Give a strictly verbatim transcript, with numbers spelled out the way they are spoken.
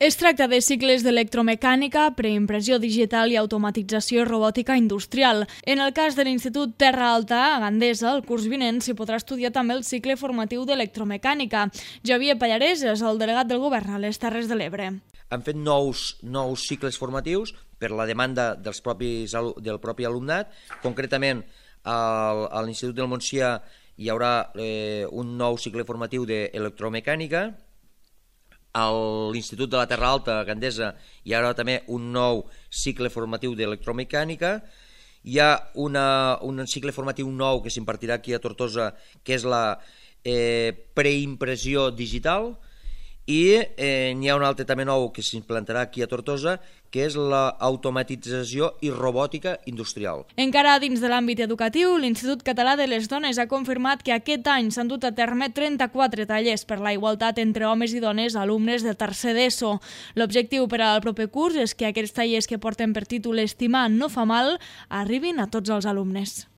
Es tracta de cicles d'electromecànica, preimpressió digital i automatització i robòtica industrial. En el cas de l'Institut Terra Alta, a Gandesa, el curs vinent s'hi podrà estudiar també el cicle formatiu d'electromecànica. Javier Pallarès és el delegat del govern a les Terres de l'Ebre. Han fet nous, nous cicles formatius per la demanda dels propis, del propi alumnat. Concretament, al, a l'Institut del Montsià hi haurà eh, un nou cicle formatiu d'electromecànica. A l'Institut de la Terra Alta, a Gandesa, hi haurà també un nou cicle formatiu d'electromecànica. Hi ha una, un cicle formatiu nou que s'impartirà aquí a Tortosa, que és la eh, preimpressió digital, i eh, n'hi ha un altre també nou que s'implantarà aquí a Tortosa, que és l'automatització i robòtica industrial. Encara dins de l'àmbit educatiu, l'Institut Català de les Dones ha confirmat que aquest any s'han dut a terme trenta-quatre tallers per la igualtat entre homes i dones alumnes de tercer d'ESO. L'objectiu per al proper curs és que aquests tallers que porten per títol Estimar no fa mal arribin a tots els alumnes.